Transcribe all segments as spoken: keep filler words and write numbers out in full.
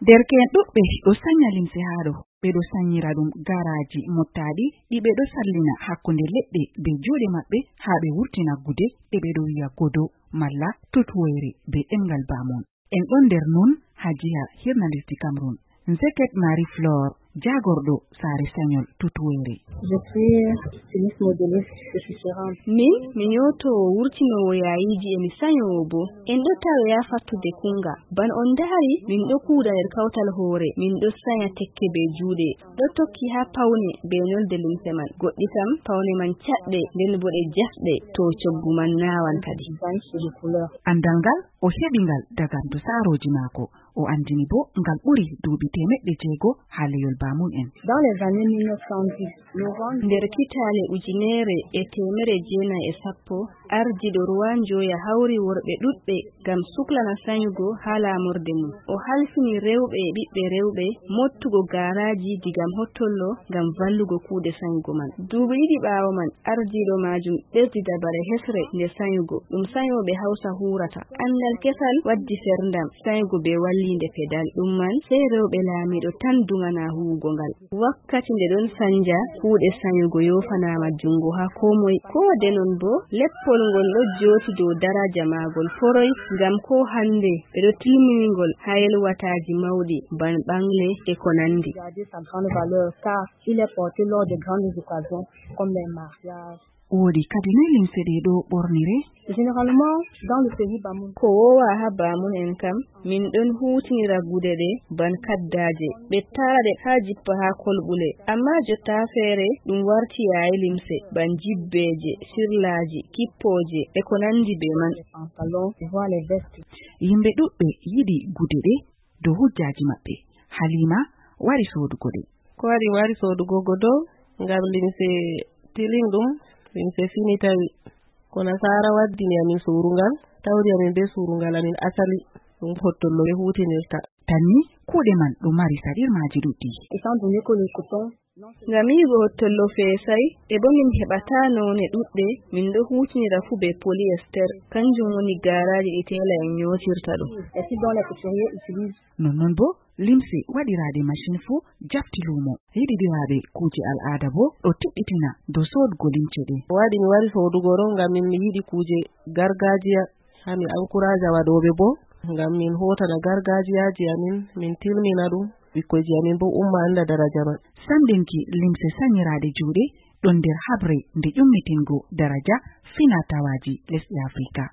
Derke'en ɗuɗɓe ɗo sanya limse haa ɗo, ɓe ɗo sanyira ɗum garaaji mottaaɗi ɗi ɓe ɗo sallina hakkunde leɗɗe bee juuɗe maɓɓe haa ɓe wurtina gude, e ɓe ɗo wi'a godo malla tutuwoyre bee ɗemngal baamun. En ɗon nder nun haa jiha hirna lesdi Cameroun. Nzeket Marie Flore, jaagorɗo saare sanyol tutuwoyre. Je suis styliste modéliste, je suis gérante. Min, mi nyootowo wurtinoowo yaayiiji e mi sanyoowo boo. En ɗo tawe haa fattude kuuŋga. Bana on ndahari, min ɗo kuuda nder kawtal hoore, min ɗo sanya tekke bee juuɗe. Ɗo tokki haa pawne bee nolde limse man. Goɗɗi kam, pawne man caɗɗe, nden boo ɗe jasɗe, to coggu man naawan kadi. Design sur les couleurs. Anndal ngal, o heɓi ngal daga ndu saarooji maako. O anndini boo ngal ɓuri duuɓi teemeɗɗe jeego haa leyol baamun en. Dans les années mille neuf cent dix, novembre, nder kitaale ujunere e teemere jeenayi e sappo, ardiiɗo Ruwan Joya hawri worɓe ɗuɗɓe ngam suklana sanyugo haa laamorde mum. O halfini rewɓe e ɓiɓɓe rewɓe mottugo gaaraaji diga Hottollo ngam vallugo kuuɗe sanyugo man. Duuɓi ɗiɗi ɓaawo man, ardiiɗo maajum ɓesdi dabare hesre nde sanyugo. Ɗum sanyooɓe Hawsa huurata. Anndal kesal waddi ferndam, sanyugo bee walliinde pedal. Ɗum man, sey rewɓe laamiiɗo tan duŋana huuwugo ngal. Wakkati nde ɗon sanja kuuɗe sanyugo yoofanaama juŋngo haa koo moy. Koo de non boo, leppol ngol ɗo jooti dow daraja maagol foroy, ngam koo hannde ɓe ɗo tilmini ngol haa yelwataaji mawɗi, ban ɓaŋle e ko nanndi. Garder sa grande valeur, car il est porté lors des grandes occasions, comme les mariages. Woodi kadi noy limse ɗe ɗo ɓornire? Généralement, dans le pays Bamoun. Ko woowa haa baamun en kam, min ɗon huutinira gude ɗe ban kaddaaje, ɓe taara ɗe haa jippa haa kolɓule. Ammaa jotta feere, ɗum warti yaayi limse, ban jibbeeje, sirlaaji, kippooje, e ko nanndi bee man. Les pantalons, voire les vestes. Yimɓe ɗuɗɓe yiɗi gude ɗe dow hujjaaji maɓɓe. Halima wari soodugo ɗe. Ko waɗi mi wari soodugo godo? Ngam limse tilinɗum, limse fini tawi. Ko nasaara waddini amin surungal, tawri amin bee surungal amin asali, ɗum Hottollo ɓe huutinirta. Tan ni, kuuɗe man ɗo mari saɗirmaaji ɗuɗɗi. Étant donné que le coton, ngam yi'ugo Hottollo feesay, e bo min heɓataa noone ɗuɗɗe, min ɗo huutinira fuu bee polyester, kanjum woni gaaraaji ɗi teela'en nyootirta ɗum. Et si dont les couturiers utilisent. Nonnon boo, limse waɗiraaɗe masin fuu jafti luumo. Yiɗiɗiraaɓe kuuje al'aada boo ɗo tiɗɗitina dow soodgo limce ɗe. Ko waɗi mi wari soodugo ɗo, ngam min mi yiɗi kuuje gargaajiya, haa mi ankuraaja waɗooɓe boo, ngam min hootana gargaajiyaaji amin, min tilmina ɗum, ɓikkoyji amin boo umma annda daraja man. Samɗinki limse sanyiraaɗe juuɗe ɗon nder haɓre nde ƴummitingo daraja fina-tawaaji lesɗe Afrika.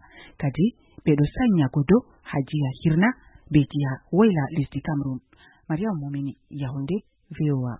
Kadi, ɓe ɗo sanya godo haa jiha hirna bee jiha woyla lesdi Cameroun. Mariam Momini, Yaoundé, V O A.